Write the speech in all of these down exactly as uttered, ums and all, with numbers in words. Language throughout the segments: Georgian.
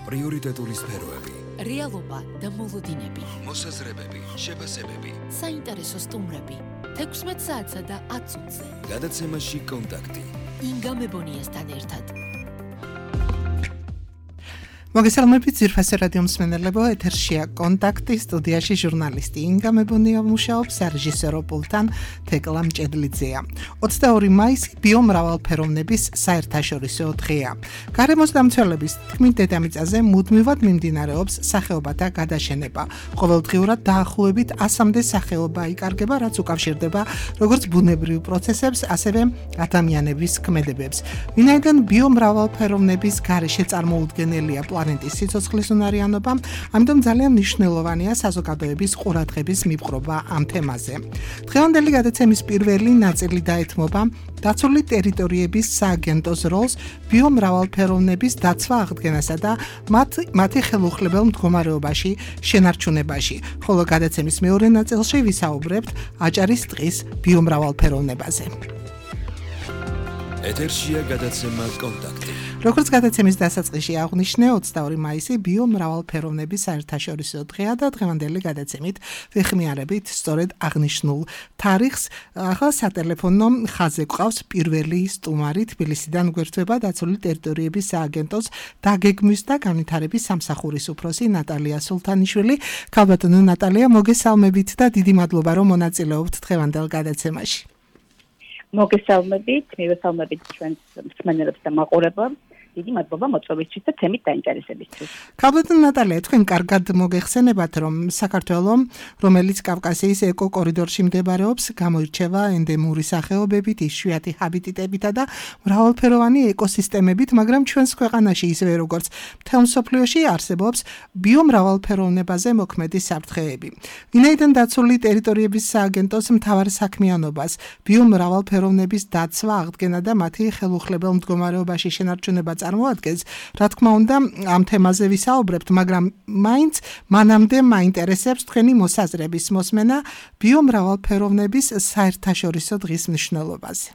პრიორიტეტული სფეროები, რეალობა და მოლოდინები, მოსაზრებები, შეფასებები, საინტერესო სტუმრები, თექვსმეტ საათსა და ათ წუთზე. გადაცემაში კონტაქტი. ინგა მებონიასთან ერთად. მოგესალმებით ძირფასი რადიო მსმენელებო, ეთერშია კონტაქტი, სტუდიაში ჟურნალისტი ინგა მებონია მუშაობს, რეჟისორო პულტთან თეკლა მჭედლიძეა. ოცდაორი მაისი ბიომრავალფეროვნების საერთაშორისო დღეა. გარემოს დამცველების თქმით დედამიწაზე მუდმივად მიმდინარეობს სახეობათა გადაშენება. ყოველდღიურად დაახლოებით ასამდე სახეობა იკარგება, რაც უკავშირდება როგორც ბუნებრივ პროცესებს, ასევე ადამიანების ქმედებებს. ვინაიდან ბიომრავალფეროვნების გარეშე წარმოუდგენელია პლანეტის სიცოცხლის უნარიანობა, ამიტომ ძალიან მნიშვნელოვანია საზოგადოების ყურადღების მიპყრობა ამ თემაზე. დღევანდელი გადაცემის პირველი ნაწილი დაეთმობა დაცული ტერიტორიების სააგენტოს როლს ბიომრავალფეროვნების დაცვა აღდგენასა და მათ მათი ხელუხლებელ მდგომარეობაში შენარჩუნებაში. ხოლო გადაცემის მეორე ნაწილში ვისაუბრებთ აჭარის ტყის ბიომრავალფეროვნებაზე. ეთერშია გადაცემა კონტაქტი. როგორც გადაცემის დასაწყისში აღვნიშნე, ოცდაორი მაისი ბიომრავალფეროვნების საერთაშორისო დღეა და დღევანდელი გადაცემით ვეხმიარებით სწორედ აღნიშნულ თარიღს. ახლა სატელეფონო ხაზზე გვყავს პირველი სტუმარი, თბილისიდან გვერდება დაცული ტერიტორიების სააგენტოს დაგეგმვის და განვითარების სამსახურის უფროსი ნატალია სულთანიშვილი. ქალბატონო ნატალია, მოგესალმებით და დიდი მადლობა, რომ მონაწილეობთ დღევანდელ გადაცემაში. მოგესალმებით, მივესალმებით ჩვენს მსმენელებს და მაყურებლებს. დიდი მადლობა მოწვევისთვის და თემით დაინტერესებისთვის. ქალბატონო ნატალია, თქვენ კარგად მოგეხსენებათ, რომ საქართველო, რომელიც კავკასიის ეკო-კორიდორში მდებარეობს, გამოირჩევა ენდემური სახეობებით, იშვიათი ჰაბიტატებითა და მრავალფეროვანი ეკოსისტემებით, მაგრამ ჩვენს ქვეყანაში ისევე როგორც მთელ მსოფლიოში არსებობს ბიომრავალფეროვნებაზე მოქმედი საფრთხეები. ვინაიდან დაცული ტერიტორიების სააგენტოს მთავარ საქმიანობას ბიომრავალფეროვნების დაცვა, აღდგენა და მათი ხელუხლებელ მდგომარეობაში შენარჩუნება წარმოადგენს, რა თქმა უნდა, ამ თემაზე ვისაუბრებთ, მაგრამ მაინც მანამდე მაინტერესებს თქვენი მოსაზრების მოსმენა ბიომრავალფეროვნების საერთაშორისო დღის მნიშვნელობაზე.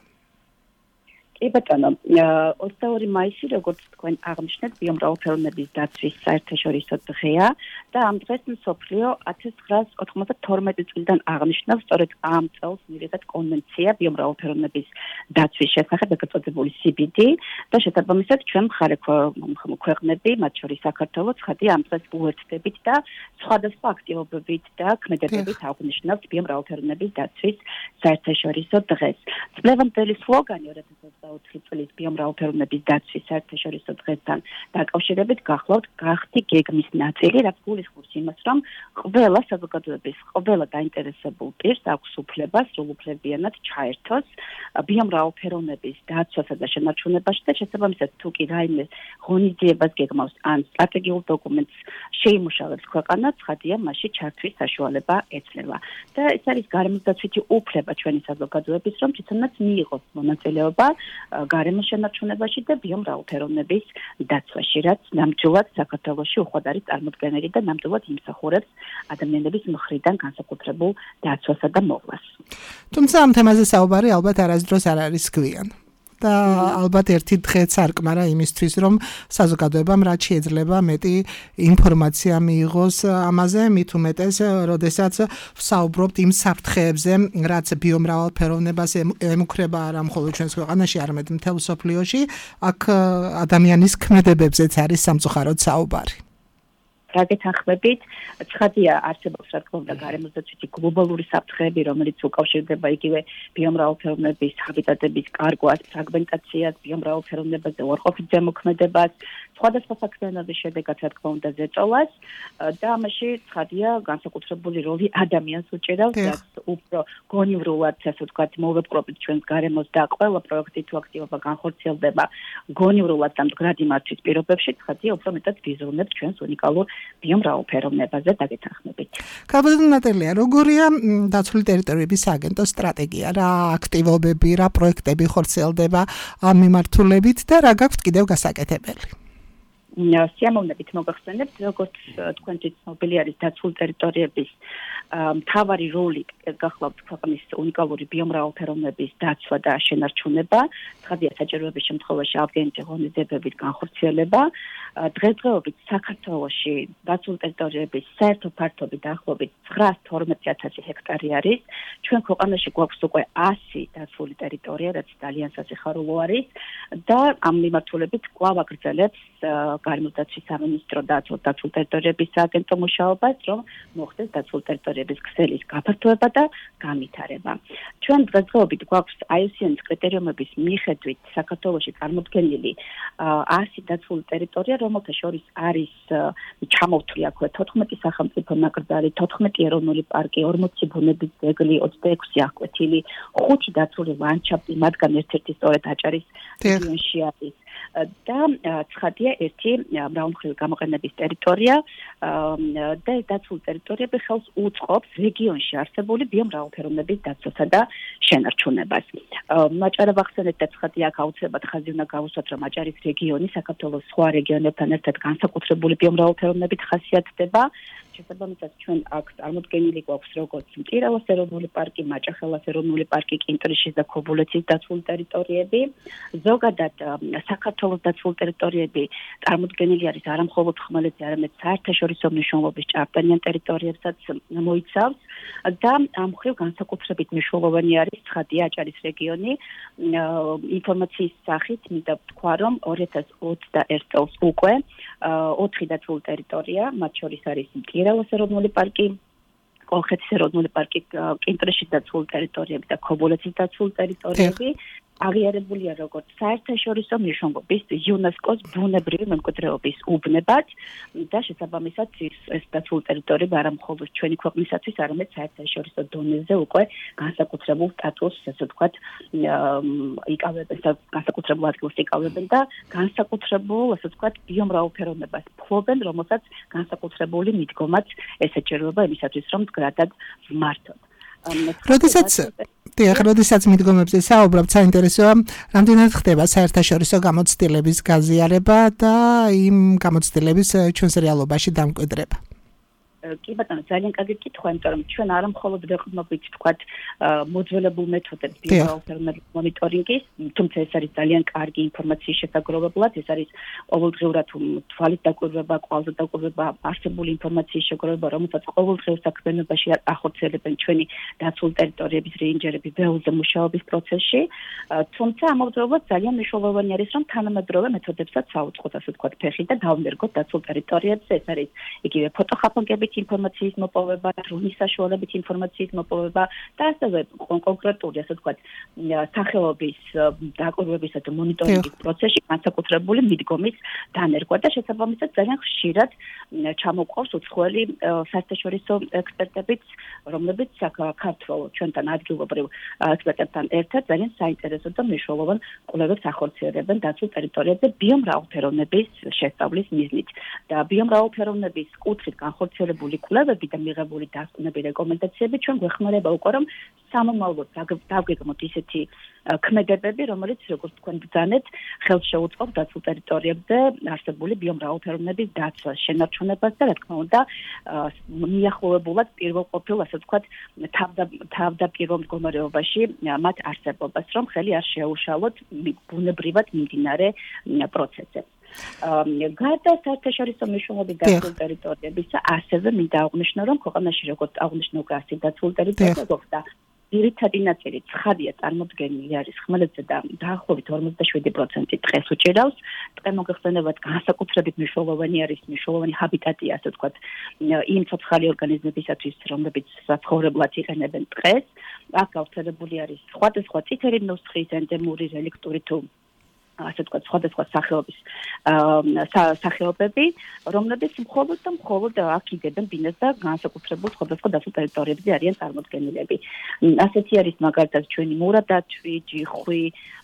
კი ბატონო, ოცდაორი მაისი, როგორც თქვენ აღნიშნეთ, ბიომრავალფეროვნების დაცვის საერთაშორისო დღეა და ამ დღეს მსოფლიო ათას ცხრაას ოთხმოცდათორმეტი წლიდან აღნიშნავს სწორედ ამ წელს მიღებად კონვენცია ბიომრავალფეროვნების დაცვის შესახებ, ეგრეთ წოდებული სი ბი დი და შესაბამისად ჩვენ მხარე ქვეყნები, მათ შორის საქართველო, ცხადია ამ დღეს უერთდებით და სხვადასხვა აქტივობებით და ქმედებებით აღნიშნავს ბიომრავალფეროვნების დაცვის საერთაშორისო დღეს. წლევანდელი სლოგანი ორი ათას ოცდაოთხი წლის ბიომრავალფეროვნების დაცვის საერთაშორისო დღესთან დაკავშირებით გახლავთ გახდი გეგმის ნაწილი, რაც გულისხმობს იმას, რომ ყველა საზოგადოების, ყველა დაინტერესებულ პირს აქვს უფლება სრულუფლებიანად ჩაერთოს ბიომრავალფეროვნების დაცვასა და შენარჩუნებაში და შესაბამისად თუ კი რაიმე ღონისძიებას გეგმავს ან სტრატეგიულ დოკუმენტს შეიმუშავებს ქვეყანა, ცხადია მასში ჩართვის საშუალება ეცლება. და ეს არის გარემოს დაცვითი უფლება ჩვენი საზოგადოების, რომ თვითონაც მიიღოს მონაწილეობა გარემოს შენარჩუნებაში და ბიომრავალფეროვნების დაცვაში, რაც ნამდვილად საქართველოში უხვად არის წარმოდგენილი და ნამდვილად იმსახურებს ადამიანების მხრიდან განსაკუთრებულ დაცვასა და მოვლას. თუმცა ამ თემაზე საუბარი ალბათ არასდროს არ არის გვიან. და ალბათ ერთი დღეც არ კმარა იმისთვის, რომ საზოგადოებამ რაც შეიძლება მეტი ინფორმაცია მიიღოს ამაზე, მით უმეტეს, როდესაც ვსაუბრობთ იმ საფრთხეებზე, რაც ბიომრავალფეროვნებას ემუქრება არა მხოლოდ ჩვენს ქვეყანაში, არამედ მთელ მსოფლიოში, აქ ადამიანის ქმედებებზეც არის სამწუხაროდ საუბარი. რა გეთანხმებით, ცხადია არსებობს რა თქმა უნდა გარემოს დაცვითი გლობალური საფრთხეები, რომელიც უკავშირდება იგივე ბიომრავალფეროვნების ჰაბიტატების კარგვას, ფრაგმენტაციას, ბიომრავალფეროვნებაზე უარყოფით ზემოქმედებას, სხვადასხვა საქმიანობის შედეგად რა თქმა უნდა ზეწოლას და ამაში ცხადია განსაკუთრებული როლი ადამიანს უჭირავს, რაც უფრო გონივრულად, ასე ვთქვათ, მოვეპყრობით ჩვენს გარემოს და ყველა პროექტი თუ აქტივობა განხორციელდება გონივრულად და მდგრადი მართვის პირობებში, ცხადია უფრო მეტად ვიზუალურებს ჩვენს უნიკალურ ბიომრავალფეროვნებაზე დაგეთანხმებით. ქალბატონო ნატალია, როგორია დაცული ტერიტორიების სააგენტოს სტრატეგია, რა აქტივობები, რა პროექტები ხორციელდება ამ მიმართულებით და რა გაქვთ კიდევ გასაკეთებელი? სიამოვნებით მოგახსენებთ, როგორც თქვენთვის ცნობილი არის დაცული ტერიტორიების მთავარი როლი გახლავთ ქვეყნის უნიკალური ბიომრავალფეროვნების დაცვა და შენარჩუნება, ცხადია საჭიროების შემთხვევაში აღდგენითი ღონისძიებებით განხორციელება. დღესდღეობით საქართველოში დაცული ტერიტორიების საერთო ფართობი დაახლოებით ცხრაას თორმეტი ათასი ჰექტარი არის. ჩვენ ქვეყანაში გვაქვს უკვე ასი დაცული ტერიტორია, რაც ძალიან სასიხარულო არის და ამ მიმართულებით კვლავ აგრძელებს გარემოდაცვის სამინისტრო და დაცული ტერიტორიების სააგენტო მუშაობას, რომ მოხდეს დაცული ტერიტორიების ქსელის გაფართოება და განვითარება. ჩვენ დღესდღეობით გვაქვს აი იუ სი ენ-ის კრიტერიუმების მიხედვით საქართველოში წარმოდგენილი ასი დაცული ტერიტორია, რომელთა შორის არის ჩამოვთვლი აქვე თოთხმეტი სახელმწიფო ნაკრძალი, თოთხმეტი ეროვნული პარკი, ორმოცი ბუნების ძეგლი, ოცდაექვსი აღკვეთილი, ხუთი დაცული ლანდშაფტი, მათგან ერთ-ერთი სწორედ აჭარის რეგიონში არის. და ცხადია ერთი მრავალმხრივი გამოყენების ტერიტორია და დაცული ტერიტორიები ხელს უწყობს რეგიონში არსებული ბიომრავალფეროვნების დაცვასა და შენარჩუნებას. მაჭარა ვახსენეთ და ცხადია აქ აუცილებლად ხაზი უნდა გავუსვათ, რომ აჭარის რეგიონი საქართველოს სხვა რეგიონებთან ერთად განსაკუთრებული ბიომრავალფეროვნებით ხასიათდება. შესაბამისად ჩვენ აქ წარმოდგენილი გვაქვს როგორც მტირავას ეროვნული პარკი, მაჭახელას ეროვნული პარკი, კინტრიშის და ქობულეთის დაცული ტერიტორიები. ზოგადად საქართველოს დაცული ტერიტორიები წარმოდგენილი არის არა მხოლოდ ხმელეთზე, არამედ საერთაშორისო მნიშვნელობის ჭარბტენიან ტერიტორიებსაც მოიცავს და ამ მხრივ განსაკუთრებით მნიშვნელოვანი არის ცხადია აჭარის რეგიონი. ინფორმაციის სახით მინდა ვთქვა, რომ ორი ათას ოცდაერთ წელს უკვე ოთხი დაცული ტერიტორია, მათ შორის არის მტირავას ეროვნული პარკი, კოლხეთის ეროვნული პარკი, კინტრიშის დაცული ტერიტორიები და ქობულეთის დაცული ტერიტორიები აღიარებულია როგორც საერთაშორისო მნიშვნელობის იუნესკოს ბუნებრივი მემკვიდრეობის უბნებად და შესაბამისად ეს დაცული ტერიტორიები არა მხოლოდ ჩვენი ქვეყნისათვის, არამედ საერთაშორისო დონეზე უკვე განსაკუთრებულ სტატუსს, ასე ვთქვათ, იკავებენ და განსაკუთრებულ ადგილს იკავებენ და განსაკუთრებულ, ასე ვთქვათ, ბიომრავალფეროვნებას ფლობენ, რომელსაც განსაკუთრებული მიდგომაც ესაჭიროება იმისათვის, რომ მდგრადად ვმართოთ. როდესაც დიახ, როდესაც მიდგომებზე საუბრობთ, საინტერესოა, რამდენად ხდება საერთაშორისო გამოცდილების გაზიარება და იმ გამოცდილების ჩვენს რეალობაში დამკვიდრება. კი ბატონო, ძალიან კარგი კითხვა, იმიტომ რომ ჩვენ არა მხოლოდ ვეყრდნობით, თქვათ, მოძველებულ მეთოდებს ბიომრავალფეროვნების მონიტორინგის, თუმცა ეს არის ძალიან კარგი ინფორმაციის შესაგროვებლად, ეს არის ყოველდღიურად თვალით დაკვირვება, კვალზე დაკვირვება, არსებული ინფორმაციის შეგროვება, რომელსაც ყოველდღიურ საქმიანობაში ახორციელებენ ჩვენი დაცული ტერიტორიების რეინჯერები ბეულზე მუშაობის პროცესში, თუმცა ამავდროულად ძალიან მნიშვნელოვანი არის, რომ თანამედროვე მეთოდებსაც საუწყოთ, ასე ვთქვათ, ფეხი და დავმერგოთ დაცულ ტერიტორიებზე, ეს არის იგივე ფოტოხაფანგებით ინფორმაციის მოპოვება, დრონის საშუალებით ინფორმაციის მოპოვება და ასევე კონკრეტული, ასე ვთქვათ, სახელობის დაკვირვებისა და მონიტორინგის პროცესში განსაკუთრებული მიდგომის დანერგვა და შესაბამისად ძალიან ხშირად ჩამოყავს უცხოელი საერთაშორისო ექსპერტებიც, რომლებიც საქართველოს ჩვენთან ადგილობრივ ექსპერტებთან ერთად ძალიან საინტერესო და მნიშვნელოვან კვლევებს ახორციელებენ დაცულ ტერიტორიებზე ბიომრავალფეროვნების შესწავლის მიზნით და ბიომრავალფეროვნების კუთხით განხორციელებული კვლევები და მიღებული დასკვნები რეკომენდაციები ჩვენ გვეხმარება უკვე რომ სამომავლოდ დავგეგმოთ ისეთი ქმედებები, რომელიც როგორც თქვენ ბრძანეთ, ხელს შეუწყობს დაცულ ტერიტორიებზე არსებული ბიომრავალფეროვნების დაცვას, შენარჩუნებას და რა თქმა უნდა მიახლოვებულად პირველყოფილ, ასე ვთქვათ, თავდაპირველ მდგომარეობაში მათ არსებობას, რომ ხელი არ შეეუშალოთ ბუნებრივად მიმდინარე პროცესებს. გარდა საერთაშორისო მნიშვნელობის დაცული ტერიტორიებისა, ასევე მინდა აღვნიშნო, რომ ქვეყანაში როგორც აღვნიშნო გასი დაცული ტერიტორია გვაქვს და ძირითადი ნაწილი ცხადია წარმოდგენილი არის ხმელეთზე და დაახლოებით ორმოცდაშვიდი პროცენტი ტყეს უჭირავს. ტყე მოგეხსენებათ განსაკუთრებით მნიშვნელოვანი არის, მნიშვნელოვანი ჰაბიტატია, ასე ვთქვათ, იმ ცოცხალი ორგანიზმებისათვის, რომლებიც საცხოვრებლად იყენებენ ტყეს. აქ გავრცელებული არის სხვადასხვა წითელი ნუსხის, ენდემური, რელიქტური თუ ასე ვთქვათ, სხვადასხვა სახეობის სახეობები, რომლებიც მხოლოდ და მხოლოდ აქ იგებენ ბინას და განსაკუთრებულ სხვადასხვა დაცულ ტერიტორიებზე არიან წარმოდგენილები. ასეთი არის მაგალითად ჩვენი მურადათვი, ჯიხვი,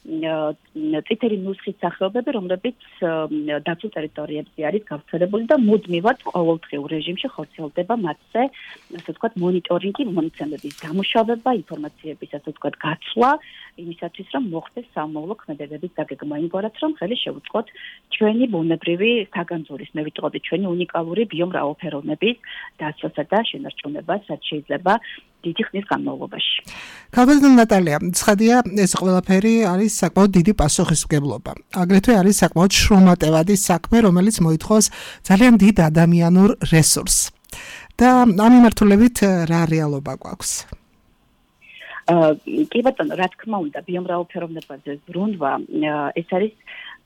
წითელი ნუსხის სახეობები, რომლებიც დაცულ ტერიტორიებზე არის გავრცელებული და მუდმივად ყოველდღიურ რეჟიმში ხორციელდება მათზე, ასე ვთქვათ, მონიტორინგი, მონაცემების დამუშავება, ინფორმაციების, ასე ვთქვათ, გაცვლა, იმისათვის, რომ მოხდეს სამომავლო ქმედებების დაგეგმა. ამგვარად რომ ხელი შეუწყოთ ჩვენი ბუნებრივი საგანძურის, მე ვიტყოდი ჩვენი უნიკალური ბიომრავალფეროვნების დაცვასა და შენარჩუნებას, რაც შეიძლება დიდი ხნის განმავლობაში. ქალბატონო ნატალია, ცხადია, ეს ყველაფერი არის საკმაოდ დიდი პასუხისმგებლობა. აგრეთვე არის საკმაოდ შრომატევადი საქმე, რომელიც მოითხოვს ძალიან დიდ ადამიანურ რესურსს. და ამ მიმართულებით რა რეალობა გვაქვს? კი ბატონო, რა თქმა უნდა, ბიომრავალფეროვნებაზე ზრუნვა ეს არის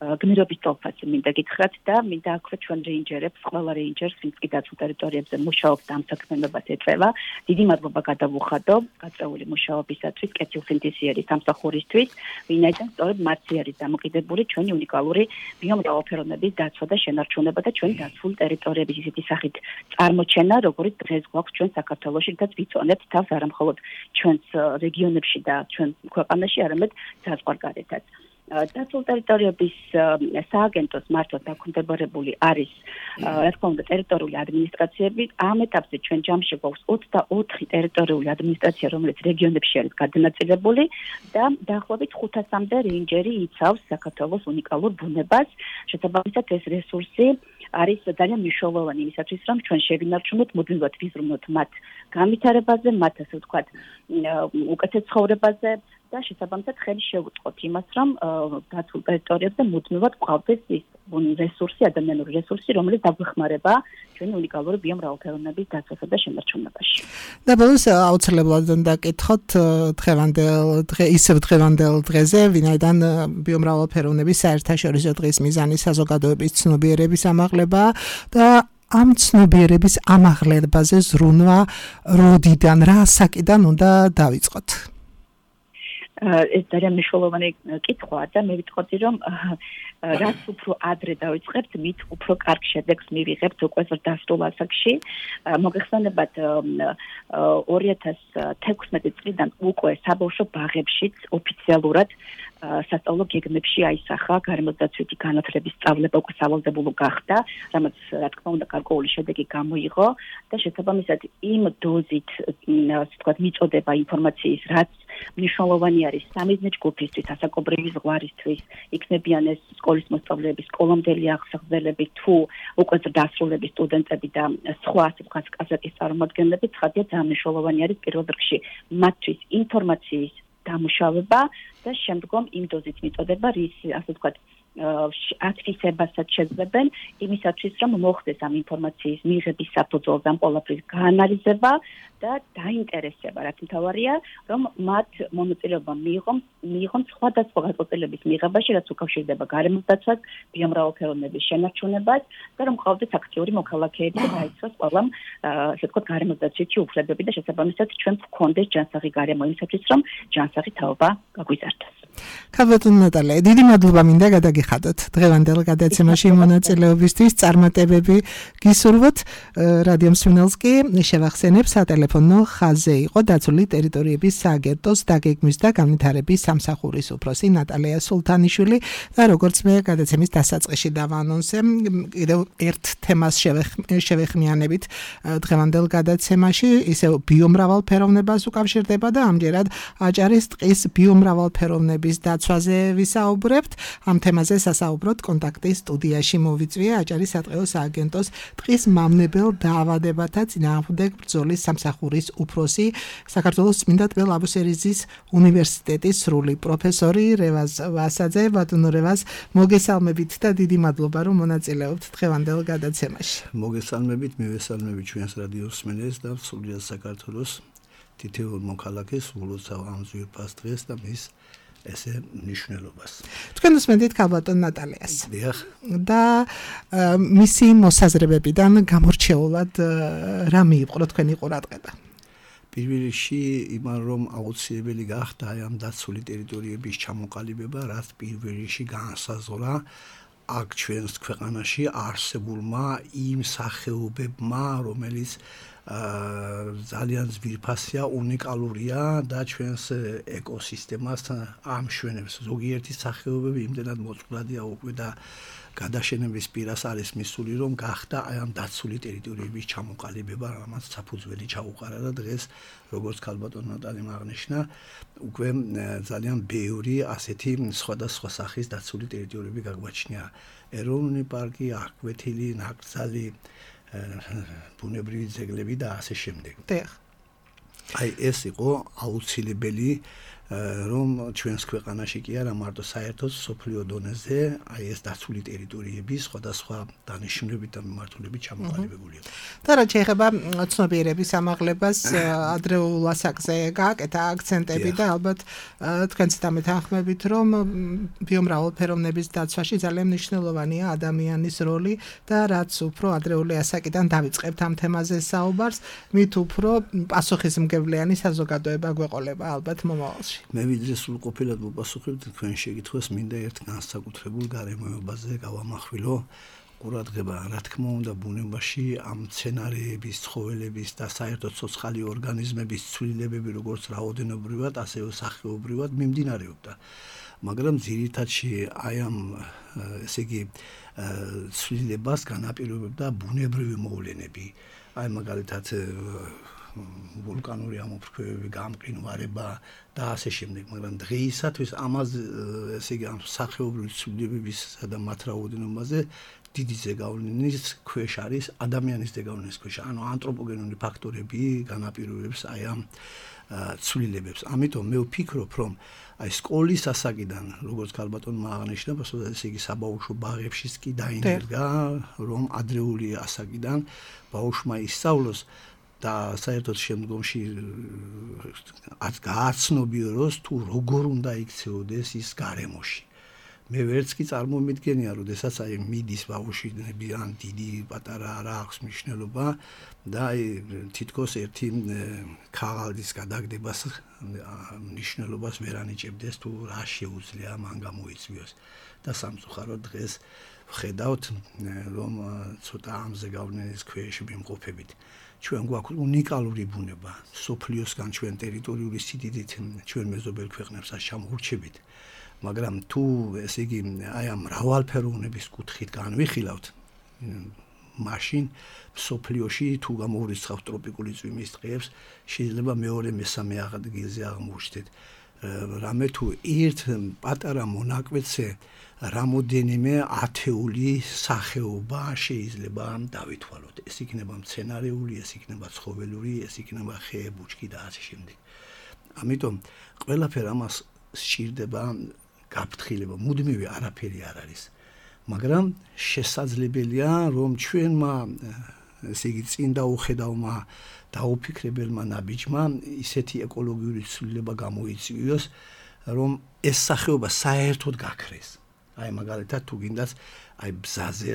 გმირობის ტოლფასი მინდა გითხრათ და მინდა აქვე ჩვენ რეინჯერებს, ყველა რეინჯერს, ვინც კი დაცულ ტერიტორიებზე მუშაობს და ამ საქმიანობას ეწევა, დიდი მადლობა გადავუხადო გაწეული მუშაობისათვის, კეთილსინთეზიერის სამსახურისთვის, ვინაიდან სწორედ მათი არის დამოკიდებული ჩვენი უნიკალური ბიომრავალფეროვნების დაცვა და შენარჩუნება და ჩვენი დაცული ტერიტორიების ისეთი სახით წარმოჩენა, როგორც დღეს გვაქვს ჩვენ საქართველოში, რაც ვიცონებთ თავს არა მხოლოდ ჩვენს რეგიონებში და ჩვენ ქვეყანაში, არამედ საზღვარგარეთაც. დაცულ ტერიტორიების სააგენტოს მართლაც დაქვემდებარებული არის, რა თქმა უნდა, ტერიტორიული ადმინისტრაციები. ამ ეტაპზე ჩვენ ჯამში გვაქვს ოცდაოთხი ტერიტორიული ადმინისტრაცია, რომელიც რეგიონებში არის გადანაწილებული და დაახლოებით ხუთასამდე რეინჯერი იცავს საქართველოს უნიკალურ ბუნებას. შესაბამისად, ეს რესურსი არის ძალიან მნიშვნელოვანი იმისათვის, რომ ჩვენ შევინარჩუნოთ, მუდმივად ვიზრუნოთ მათ განვითარებაზე, მათ ასე ვთქვათ, უკეთეს ცხოვრებაზე. და შესაბამისად ხელი შეუწყოთ იმას, რომ დაცულ ტერიტორიებზე მუდმივად გვყავდეს ის რესურსი, ადამიანური რესურსი, რომელიც დაგვეხმარება ჩვენი უნიკალური ბიომრავალფეროვნების დაცვასა და შენარჩუნებაში. და ბოლოს აუცილებლად დაკითხოთ დღევანდელ დღე ისევ დღევანდელ დღეზე, ვინაიდან ბიომრავალფეროვნების საერთაშორისო დღის მიზანი საზოგადოების ცნობიერების ამაღლება და ამ ცნობიერების ამაღლებაზე ზრუნვა როდიდან, რა საკიდან უნდა დავიწყოთ? ეს ძალიან მნიშვნელოვანი კითხვაა და მე ვიტყოდი, რომ რაც უფრო ადრე დავიწყებთ, მით უფრო კარგ შედეგს მივიღებთ უკვე ზრდასრულ ასაკში. მოგეხსენებათ ორი ათას თექვსმეტი წლიდან უკვე საბავშვო ბაღებშიც ოფიციალურად სასწავლო გეგმებში აისახა გარემოდაცვითი განათლების სწავლება უკვე სავალდებულო გახდა, რამაც რა თქმა უნდა გარკვეული შედეგი გამოიღო და შესაბამისად იმ დოზით, ასე ვთქვათ, მიწოდება ინფორმაციის, რაც მნიშვნელოვანი არის სამიზნე ჯგუფისთვის, ასაკობრივი ზღვარისთვის, იქნებიან ეს სკოლის მოსწავლეები, სკოლამდელი აღსახსნელები, თუ უკვე დასრულების სტუდენტები და სხვა ასე ვთქვათ კაზაკის წარმომადგენლები, ცხადია ძალიან მნიშვნელოვანი არის პირველ რიგში მათთვის ინფორმაციის დამუშავება და შემდგომ იმ დოზით მიწოდება, რის ასე ვთქვათ ათვისებასაც შეძლებენ იმისათვის, რომ მოხდეს ამ ინფორმაციის მიღების საფუძველზე ამ ყველაფრის გაანალიზება და დაინტერესება, რაც მთავარია, რომ მათ მონაწილეობა მიიღონ, მიიღონ სხვადასხვა გადაწყვეტილების მიღებაში, რაც უკავშირდება გარემოდაცვას, ბიომრავალფეროვნების შენარჩუნებას და რომ ყავდეს აქტიური მოქალაქეები და დაიცვას ყველამ, ასე ვთქვათ, გარემოდაცვითი უფლებები და შესაბამისად ჩვენ გვქონდეს ჯანსაღი გარემო იმისათვის, რომ ჯანსაღი თაობა გაგვიზარდოს. ქალბატონო ნატალია, დიდი მადლობა მინდა გადაგიხადოთ დღევანდელ გადაცემაში მონაწილეობისთვის, წარმატებები გისურვოთ. რადიო მსმენელს კი შევახსენებ, სატელეფონო ხაზზე იყო დაცული ტერიტორიების სააგენტოს დაგეგმვის და განვითარების სამსახურის უფროსი ნატალია სულთანიშვილი და როგორც მე გადაცემის დასაწყისში დავანონსე, კიდევ ერთ თემას შევეხმიანებით დღევანდელ გადაცემაში, ისევ ბიომრავალფეროვნებას უკავშირდება და ამჯერად აჭარის ტყის ბიომრავალფეროვნების დაცვაზე ვისაუბრებთ. ამ თემაზე სასაუბროთ კონტაქტის სტუდიაში მოვიწვია აჭარის სატყეო სააგენტოს ტყის მამნებელ დაავადებათა წინააღმდეგ ბრძოლის სამსახურის უფროსი, საქართველოს წმინდა ტბელ აბუსერიზის უნივერსიტეტის სრული პროფესორი რევაზ ვასაძე. ბატონო რევაზ, მოგესალმებით და დიდი მადლობა, რომ მონაწილეობთ დღევანდელ გადაცემაში. მოგესალმებით, მივესალმებით ჩვენს რადიო მსმენელს და სრულიად საქართველოს თითოეულ მოქალაქეს, უბრალოდ ამ ძვირფას დღეს და მის ესე მნიშვნელობას. თქვენ უსმენთ ქალბატონ ნატალიას. დიახ. და მისი მოსაზრებებიდან გამორჩეულად რა მიიპყრო თქვენი ყურადღება? პირველ რიგში იმან რომ აუცილებელი გახდა ამ დაცული ტერიტორიების ჩამოყალიბება, რაც პირველ რიგში განსაზღვრა აქ ჩვენს ქვეყანაში არსებულმა იმ სახეობებმა, რომელიც ძალიან ძვირფასია, უნიკალურია და ჩვენს ეკოსისტემას ამშვენებს. ზოგიერთი სახეობები იმდენად მოწყვლადია უკვე და გადაშენების პირას არის მისული, რომ გახდა აი ამ დაცული ტერიტორიების ჩამოყალიბება, რამაც საფუძველი ჩაუყარა და დღეს როგორც ქალბატონ ნატალიმ აღნიშნა, უკვე ძალიან ბევრი ასეთი სხვადასხვა სახის დაცული ტერიტორიები გაგვაჩნია. ეროვნული პარკი, აკვეთილი, ნაკრძალი, ბუნებრივი ძეგლები და ასე შემდეგ. აი ეს იყო აუცილებელი რომ ჩვენს ქვეყანაში კი არა მარტო საერთოდ სოფლიო დონეზე აი ეს დაცული ტერიტორიები სხვადასხვა დანიშნულებით და მიმართულებით ჩამოყალიბებული იყო. და რაც შეეხება ცნობიერების ამაღლებას ადრეულ ასაკზე გააკეთა აქცენტები და ალბათ თქვენც დამეთანხმებით რომ ბიომრავალფეროვნების დაცვაში ძალიან მნიშვნელოვანია ადამიანის როლი და რაც უფრო ადრეული ასაკიდან დავიწყებთ ამ თემაზე საუბარს, მით უფრო პასუხისმგებლიანი საზოგადოება გვეყოლება ალბათ მომავალში. მე ვიდრე სრულყოფილად მოპასუხებთ თქვენ შეკითხვას, მინდა ერთ განსაკუთრებულ გარემოებაზე გავამახვილო ყურადღება. რა თქმა უნდა, ბუნებაში ამ მცენარეების, ცხოველების და საერთოდ ცოცხალი ორგანიზმების ცვლილებები როგორც რაოდენობრივად, ასევე სახეობრივად მიმდინარეობდა. მაგრამ ძირითადში აი ამ ესე იგი ცვლილებას განაპირობებდა ბუნებრივი მოვლენები. აი მაგალითად ვულკანური ამოფრქვევები, გამყინვარება და ასე შემდეგ, მაგრამ დღეისათვის ამაზე ესე იგი ამ სახეობრივი ცვლილებებისა და მათ რაოდენობაზე დიდი ზეგავლენის ქვეშ არის ადამიანის ზეგავლენის ქვეშ, ანუ ანთროპოგენური ფაქტორები განაპირობებს აი ამ ცვლილებებს. ამიტომ მე ვფიქრობ, რომ აი სკოლის ასაკიდან, როგორც ქალბატონმა აღნიშნა, ესე იგი საბავშვო ბაღებშიც კი დაინერგა, რომ ადრეული ასაკიდან ბავშვმა ისწავლოს და საერთოდ შემდგომში გააცნობიეროს თუ როგორ უნდა იქცეოდეს ის გარემოში. მე ვერც კი წარმომიდგენია, როდესაც აი მიდის ბავშვები ან დიდი პატარა არა აქვს მნიშვნელობა და აი თითქოს ერთი ქაღალდის გადაგდებას მნიშვნელობას ვერ ანიჭებდეს თუ რა შეუძლია მან გამოიწვიოს. და სამწუხაროდ დღეს ვხედავთ, რომ ცოტა ამ ზეგავლენის ქვეშ ვიმყოფებით. ჩვენ გვაქვს უნიკალური ბუნება, სოფლიოსგან ჩვენ ტერიტორიული სიდიდით ჩვენ მეზობელ ქვეყნებსაც ჩამოურჩებით. მაგრამ თუ ესე იგი აი ამ მრავალფეროვნების კუთხით განვიხილავთ, მაშინ სოფლიოში თუ გამოვრიცხავთ ტროპიკული წვიმის დღეებს, შეიძლება მეორე მესამე ადგილზე აღმოჩნდეთ. რამე თუ ერთ პატარა მონაკვეთზე რამოდენიმე ათეული სახეობა შეიძლება დავითვალოთ. ეს იქნება მცენარეული, ეს იქნება ცხოველური, ეს იქნება ხე, ბუჩქი და ასე შემდეგ. ამიტომ ყველაფერ ამას სჭირდება გაფრთხილება, მუდმივი არაფერი არ არის. მაგრამ შესაძლებელია, რომ ჩვენმა ესე იგი წინ დაუხედავმა დაუფიქრებელმა ნაბიჯმა ისეთი ეკოლოგიური ცვლილება გამოიწვიოს, რომ ეს სახეობა საერთოდ გაქრეს. აი მაგალითად თუ გინდათ აი ბზაზე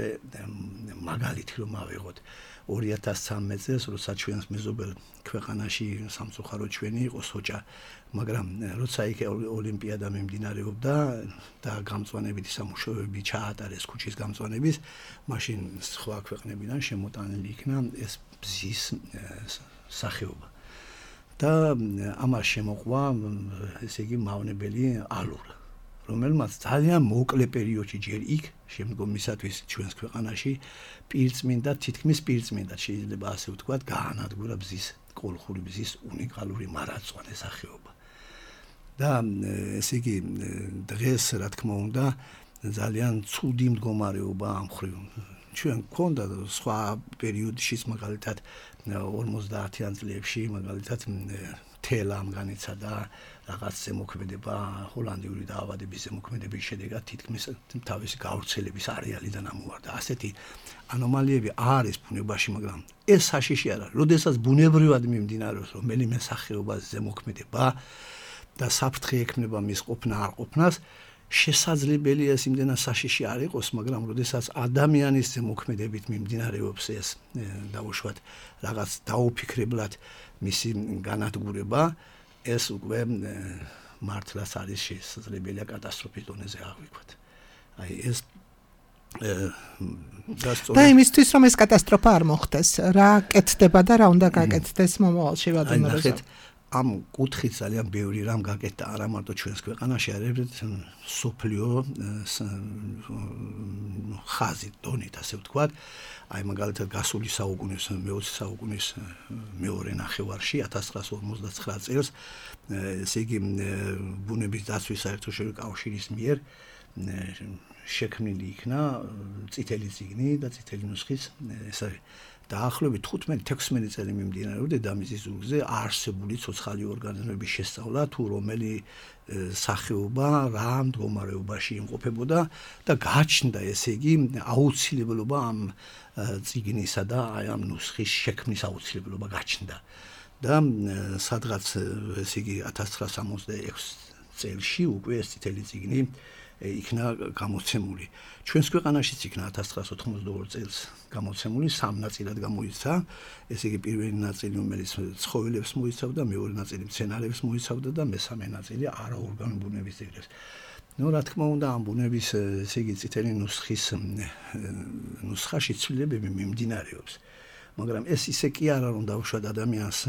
მაგალითი რომ ავიღოთ ორი ათას ცხრამეტ წელს, როცა ჩვენს მეზობელ ქვეყანაში სამწუხაროდ ჩვენი იყო სოჭა, მაგრამ როცა იქ ოლიმპიადა მიმდინარეობდა და გამწვანებითი სამუშაოები ჩაატარეს ქუჩის გამწვანების, მაშინ სხვა ქვეყნებიდან შემოტანილი იქნა ეს ბზის სახეობა. და ამას შემოყვა ესე იგი მავნებელი ალურა, რომელმაც ძალიან მოკლე პერიოდში ჯერ იქ შემდგომისათვის ჩვენს ქვეყანაში პირწმინდა, თითქმის პირწმინდა შეიძლება ასე ვთქვათ, გაანადგურა ბზის, კოლხური ბზის უნიკალური მარადმწვანე სახეობა. და ესე იგი დღეს რა თქმა უნდა ძალიან ცუდი მდგომარეობა ამ ხრივ. ჩვენ გქონდა სხვა პერიოდშიც მაგალითად ორმოცდაათიან წლებში მაგალითად თელამ განიცადა რაღაც ზემოქმედება, ჰოლანდიური დაავადების ზემოქმედების შედეგად თითქმის თავისი გავრცელების არეალიდან ამოვარდა. ასეთი ანომალიები არის ბუნებაში, მაგრამ ეს საშიში არა. როდესაც ბუნებრივად მიმდინარეობს რომელიმე სახეობას ზემოქმედება და საფრთხე ექმნება მის ყოფნა არ ყოფნას, შესაძლებელია ეს იმდენად საშიში არ იყოს, მაგრამ როდესაც ადამიანის ზემოქმედებით მიმდინარეობს ეს დაუშვათ რაღაც დაუფიქრებლად მისი განადგურება, ეს უკვე მართლაც არის შესაძლებელია კატასტროფის დონეზე აღვიქვათ. აი ეს და იმისთვის რომ ეს კატასტროფა არ მოხდეს, რა კეთდება და რა უნდა გაკეთდეს მომავალში ვადიმ როზა? ამ კუთხით ძალიან ბევრი რამ გაკეთდა არა მარტო ჩვენს ქვეყანაში, არამედ სოფლიო ხაზით, დონით, ასე ვთქვათ. აი მაგალითად გასული საუკუნის მეოცე საუკუნის მეორე ნახევარში ათას ცხრაას ორმოცდაცხრა წელს ესე იგი ბუნების დაცვის საერთაშორისო კავშირის მიერ შექმნილი იქნა წითელი წიგნი და წითელი ნუსხის ეს არის დაახლოებით თხუთმეტი თექვსმეტი წელი მიმდინარეობდა დედამიწის ზურგზე არსებული ცოცხალი ორგანიზმების შესწავლა თუ რომელი სახეობა რა მდგომარეობაში იმყოფებოდა და გაჩნდა ესე იგი აუცილებლობა ამ წიგნისა და აი ამ ნუსხის შექმნის აუცილებლობა გაჩნდა და სადღაც ესე იგი ათას ცხრაას სამოცდაექვსი წელში უკვე ეს წითელი წიგნი იქნა გამოცემული. ჩვენს ქვეყანაშიც იქნა ათას ცხრაას ოთხმოცდაორი წელს გამოცემული, სამ ნაწილად გამოიცა. ესე იგი პირველი ნაწილი რომელიც ცხოველებს მოიცავდა, მეორე ნაწილი მცენარეებს მოიცავდა და მესამე ნაწილი არაორგანული ბუნების ძეგლებს. ნუ რა თქმა უნდა ამ ბუნების ესე იგი წითელი ნუსხის ნუსხაში ცვლილებები მიმდინარეობს. მაგრამ ეს ისე კი არა რომ დავუშვათ ადამიანს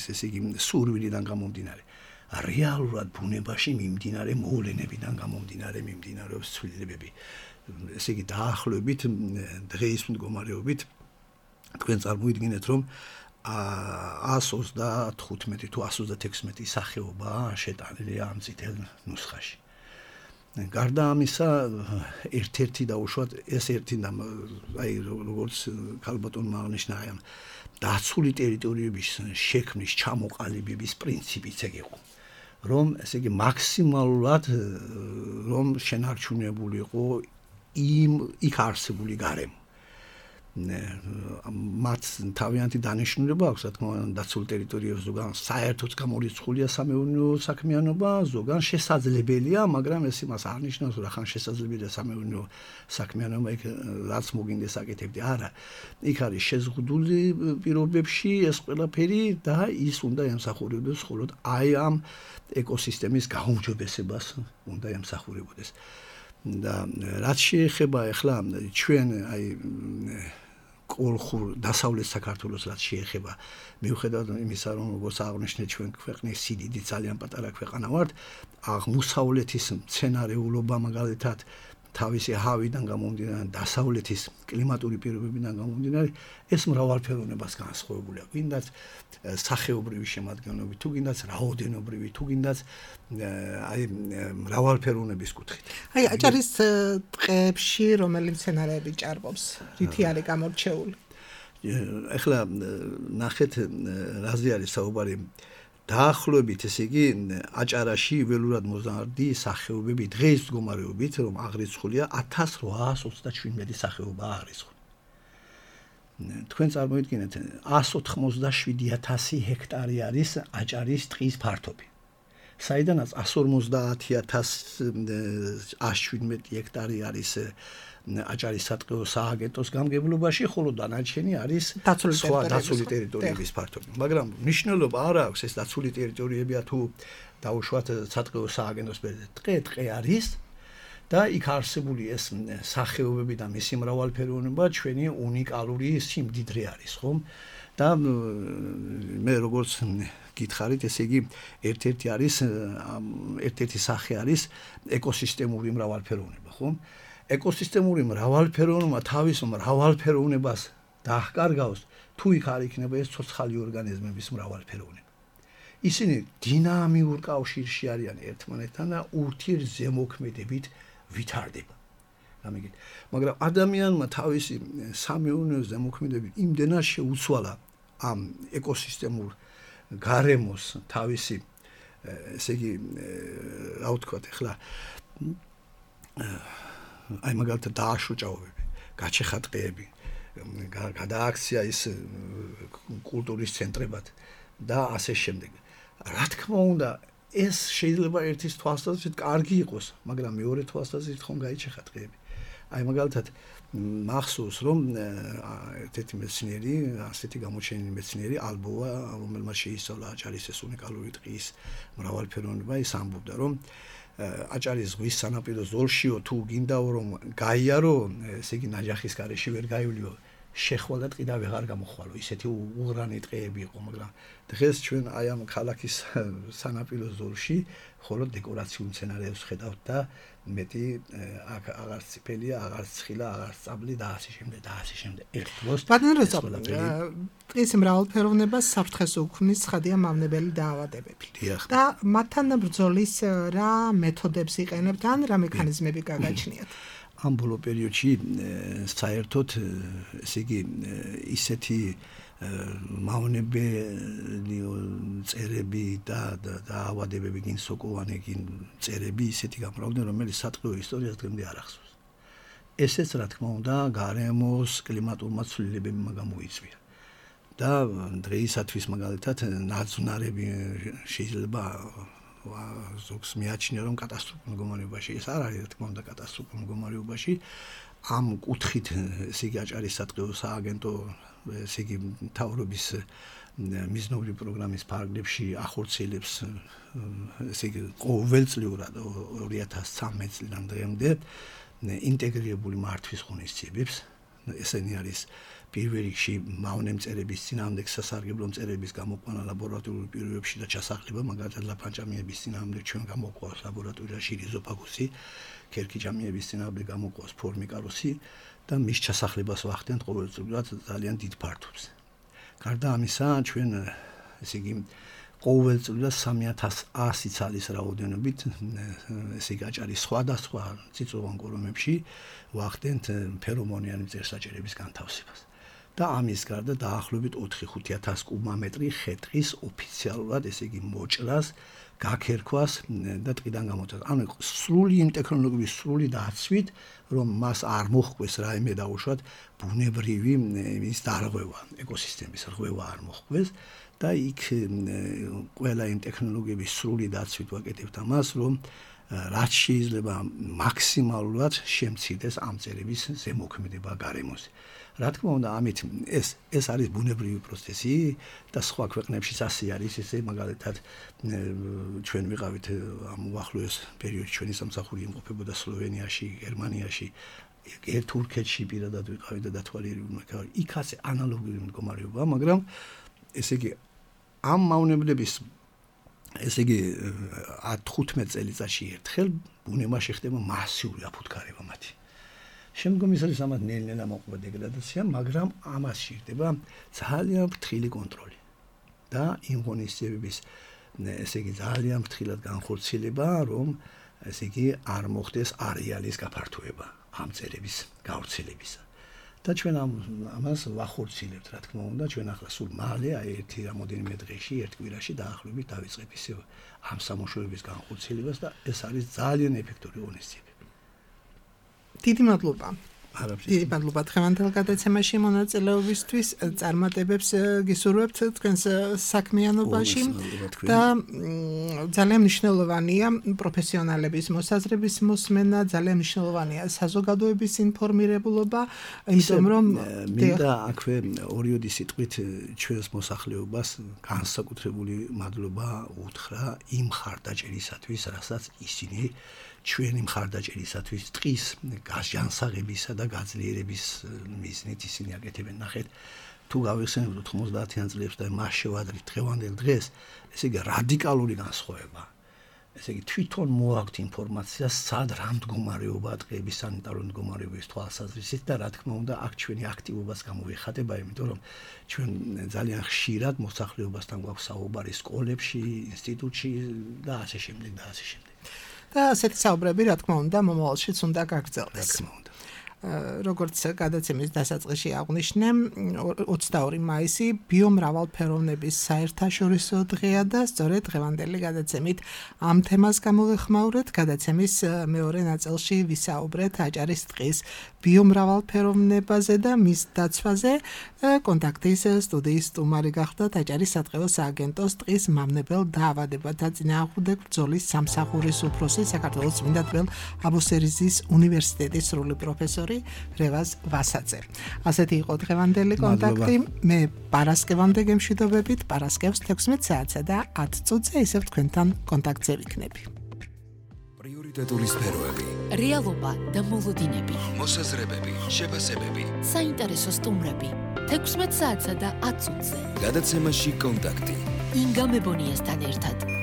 ესე იგი სურვილიდან გამომდინარე. რეალურად ბუნებაში მიმდინარე მოვლენებიდან გამომდინარე მიმდინარეობს ცვლილებები. ესე იგი დაახლოებით დღეის მდგომარეობით თქვენ წარმოიდგინეთ რომ ას ოცდათხუთმეტი თუ ას ოცდათექვსმეტი სახეობა შეტანილია ამ წითელ ნუსხაში. გარდა ამისა ერთ-ერთი დაუშვათ ეს ერთი და აი როგორც ქალბატონმა აღნიშნა აი ამ დაცული ტერიტორიების შექმნის ჩამოყალიბების პრინციპიც ეგ იყო. რომ ესე იგი მაქსიმალურად რომ შენარჩუნებული იყო იმ იქ არსებული გარემო. მათ თავიანთი დანიშნულება აქვს, რა თქმა უნდა, დაცულ ტერიტორიებზე ზოგან საერთოდ გამორიცხულია სამეურნეო საქმიანობა, ზოგან შესაძლებელია, მაგრამ ეს იმას არ ნიშნავს, რომ ახლა შესაძლებელია სამეურნეო საქმიანობა, იქ რაც მოგინდეს აკეთებდი. არა, იქ არის შეზღუდული პირობებში ეს ყველაფერი და ის უნდა ემსახურებოდეს მხოლოდ აი ამ ეკოსისტემის გაუმჯობესებას უნდა ემსახურებოდეს. და რაც შეეხება ახლა ჩვენ აი კოლხურ დასავლეთ საქართველოს რაც შეეხება მიუხედავად იმისა რომ როგორც აღნიშნეთ ჩვენ ქვეყნის სიდიდით ძალიან პატარა ქვეყანა ვართ აღმოსავლეთის მცენარეულობა მაგალითად თავისი ჰავიდან გამომდინარე დასავლეთის კლიმატური პირობებიდან გამომდინარე ეს მრავალფეროვნებას განსხვავებულია გინდათ სახეობრივი შემადგენლობით თუ გინდათ რაოდენობრივი თუ გინდათ აი მრავალფეროვნების კუთხით აი აჭარის ტყეებში რომელი მცენარეები ჭარბობს რითი არის გამორჩეული ეხლა ნახეთ რაზე არის საუბარი დაახლოებით ესე იგი აჭარაში ველურად მოზარდი სახეობები დღეს მდგომარეობით რომ აღრიცხულია ათას რვაას ოცდაშვიდმეტი სახეობა აღრიცხული. თქვენ წარმოიდგინეთ ას ოთხმოცდაშვიდი ათასი ჰექტარი არის აჭარის ტყის ფართობი. საიდანაც ას ორმოცდაათი ათასი ას შვიდმეტი ჰექტარი არის აჭარის სატყეო სააგენტოს გამგებლობაში, ხოლო დანარჩენი არის სხვა დაცული ტერიტორიების ფართობი. მაგრამ მნიშვნელობა არ აქვს ეს დაცული ტერიტორიებია თუ დაუშვათ სატყეო სააგენტოს ტყე ტყე არის და იქ არსებული ეს სახეობები და მისი მრავალფეროვნება ჩვენი უნიკალური სიმდიდრე არის, ხომ? და მე როგორც გითხარით, ესე იგი ერთ-ერთი არის ერთ-ერთი სახე არის ეკოსისტემური მრავალფეროვნება, ხომ? ეკოსისტემური მრავალფეროვნება თავის მრავალფეროვნებას დაახკარგავს თუ იქ არ იქნება ეს ცოცხალი ორგანიზმების მრავალფეროვნება. ისინი დინამიურ კავშირში არიან ერთმანეთთან და ურთიერთზემოქმედებით ვითარდება. გამიგეთ. მაგრამ ადამიანმა თავისი სამეურნეო ზემოქმედებით იმდენად შეუცვალა ამ ეკოსისტემურ გარემოს თავისი ესე იგი რა ვთქვათ ახლა აი მაგალითად დააშოჭაობები, გაჩეხა ტყეები, გადააქცია ის კულტურის ცენტრებად და ასე შემდეგ. რა თქმა უნდა, ეს შეიძლება ერთის თვალსაზრისით კარგი იყოს, მაგრამ მეორე თვალსაზრისით ხომ გაიჩეხა ტყეები. აი მაგალითად მახსოვს რომ ერთ-ერთი მეცნიერი, ასეთი გამოჩენილი მეცნიერი ალბოვა, რომელმაც შეისწავლა აჭარის ეს უნიკალური ტყის მრავალფეროვნება, ის ამბობდა რომ აჭარის ზღვის სანაპირო ზოლშიო თუ გინდაო რომ გაიარო, ესე იგი ნაჯახის გარეშე ვერ გაივლიო, შეხვალ და ტყიდა ვეღარ გამოხვალო. ისეთი უღრანი ტყეები იყო, მაგრამ დღეს ჩვენ აი ამ ქალაქის სანაპირო ზოლში მხოლოდ დეკორაციულ მცენარეებს ხედავთ და მეტი აქ აღარ ციფელია, აღარ ცხილა, აღარ წაბლი და ასე შემდეგ და ასე შემდეგ. ერთ დროს ბატონო, ტყის მრავალფეროვნებას საფრთხეს უქმნის ცხადია მავნებელი დაავადებები. და მათთან ბრძოლის რა მეთოდებს იყენებთ ან რა მექანიზმები გაგაჩნიათ? ამ ბოლო პერიოდში საერთოდ ესე იგი ისეთი მავნებელი წერები და დაავადებები გინ სოკოვანი გინ წერები ისეთი გამრავლდნენ, რომელიც სატყეო ისტორიას დღემდე არ ახსოვს. ესეც რა თქმა უნდა გარემოს კლიმატურმა ცვლილებებმა გამოიწვია. და დღეისათვის მაგალითად ნაძვნარები შეიძლება ზოგს მიაჩნია რომ კატასტროფულ მდგომარეობაში ეს არ არის რა თქმა უნდა კატასტროფულ მდგომარეობაში ამ კუთხით ესე იგი აჭარის სატყეო სააგენტო ესე იგი მთავრობის მიზნობრივი პროგრამის ფარგლებში ახორციელებს ესე იგი ყოველწლიურად ორი ათას ცხრამეტ წლიდან დღემდე ინტეგრირებული მართვის ღონისძიებებს ესენი არის პირველ რიგში მავნემწერების წინააღმდეგ სასარგებლო მწერების გამოყვანა ლაბორატორიულ პირობებში და ჩასახლება, მაგალითად ლაფანჭამიების წინააღმდეგ ჩვენ გამოყვავს ლაბორატორიაში რიზოფაგუსი, ქერქიჭამიების წინააღმდეგ გამოყვავს ფორმიკაროსი და მის ჩასახლებას ვახდენთ ყოველწლიურად ძალიან დიდ ფართობს. გარდა ამისა, ჩვენ ესე იგი ყოველწლიურად სამი ათას ასი ცალის რაოდენობით ესე იგი აჭარის სხვადასხვა წიწვოვან კორომებში ვახდენთ ფერომონიანი მწერსაჭერების განთავსებას. და ამის გარდა დაახლოებით ოთხი ხუთი ათას კუბომეტრი ხე-ტყის ოფიციალურად ესე იგი მოჭრას, გაქერქვას და ტყიდან გამოცემას. ანუ სრული იმ ტექნოლოგიების სრული დაცვით, რომ მას არ მოხდეს რაიმე დაუშვათ ბუნებრივი ის დარღვევა, ეკოსისტემის რღვევა არ მოხდეს და იქ ყველა იმ ტექნოლოგიების სრული დაცვით ვაკეთებთ ამას, რომ რაც შეიძლება მაქსიმალურად შემცირდეს ამ წერების ზემოქმედება გარემოზე. რა თქმა უნდა, ამით ეს ეს არის ბუნებრივი პროცესი და სხვა ქვეყნებშიც ასე არის, ესე მაგალითად ჩვენ ვიყავით ამ უახლოეს პერიოდში ჩვენი სამსახური იმყოფებოდა სლოვენიაში, გერმანიაში, თურქეთში პირადად ვიყავით და დათვალიერებული იქ ასე ანალოგიური მდგომარეობა, მაგრამ ესე იგი ამ მავნებლების ესე იგი ათი-თხუთმეტ წელიწადში ერთხელ ბუნებაში ხდება მასიური აფუთხარება მათი. შემდგომ ის არის ამათ ნელ-ნელა მოყვება დეგრადაცია, მაგრამ ამას სჭირდება ძალიან ფრთხილი კონტროლი და იმ ღონისძიებების ესე იგი ძალიან ფრთხილად განხორციელება, რომ ესე იგი არ მოხდეს არეალის გაფართოება ამ წერების გავრცელებისა. და ჩვენ ამას ვახორციელებთ, რა თქმა უნდა, ჩვენ ახლა სულ მალე, აი ერთი რამოდენიმე დღეში, ერთ კვირაში დაახლოებით დავიწყებ ისე ამ სამუშაოების განხორციელებას და ეს არის ძალიან ეფექტური ღონისძიებები. დიდი მადლობა. დიდი მადლობა დღევანდელ გადაცემაში მონაწილეობისთვის, წარმატებებს გისურვებთ თქვენს საქმიანობაში და ძალიან მნიშვნელოვანია პროფესიონალების მოსაზრების მოსმენა, ძალიან მნიშვნელოვანია საზოგადოების ინფორმირებულობა, იმიტომ რომ მინდა აქვე ორიოდი სიტყვით ჩვენს მოსახლეობას განსაკუთრებული მადლობა უთხრა იმ ხარდაჭერისათვის, რასაც ისინი ჩვენი მხარდაჭერისათვის ტყის განსაღებისა და გაძლიერების მიზნით ისინი აკეთებენ. ნახეთ, თუ გავიხსენებთ ოთხმოცდაათიან წლებს და მას შევადრით დღევანდელ დღეს, ესე იგი რადიკალური განსხვავება. ესე იგი თვითონ მოაქვთ ინფორმაცია, სად რა მდგომარეობაა ტყეების სანიტარული მდგომარეობის თვალსაზრისით და რა თქმა უნდა, აქ ჩვენი აქტივობას გამოიხატება, იმიტომ რომ ჩვენ ძალიან ხშირად მოსახლეობასთან გვაქვს საუბარი სკოლებში, ინსტიტუტში და ასე შემდეგ და ასე შემდეგ. და ასეთი საუბრები, რა თქმა უნდა, მომავალშიც უნდა გაგრძელდეს. როგორც გადაცემის დასაწყისში აღვნიშნე, ოცდაორი მაისი ბიომრავალფეროვნების საერთაშორისო დღეა და სწორედ დღევანდელი გადაცემით ამ თემას გამოვეხმაურეთ. გადაცემის მეორე ნაწილში ვისაუბრეთ აჭარის ტყის ბიომრავალფეროვნებაზე და მის დაცვაზე. კონტაქტის სტუდიის სტუმარი გახდათ აჭარის სატყეო სააგენტოს ტყის მავნებელ დაავადებათა წინააღმდეგ ბრძოლის სამსახურის უფროსი, საქართველოს წმინდა თბილ აბუსერიზის უნივერსიტეტის სრული პროფესორი რევაზ ვასაძე. ასეთი იყო დღევანდელი კონტაქტი. მე პარასკევამდე გემშვიდობებით, პარასკევს თექვსმეტ საათსა და ათ წუთზე ისევ თქვენთან კონტაქტზე ვიქნები. პრიორიტეტული სფეროები რეალობა და მოლოდინები, მოსაზრებები, შეფასებები. საინტერესო სტუმრები. თექვსმეტ საათსა და ათ წუთზე. გადაცემაში კონტაქტი. ინგა მებონიასთან ერთად.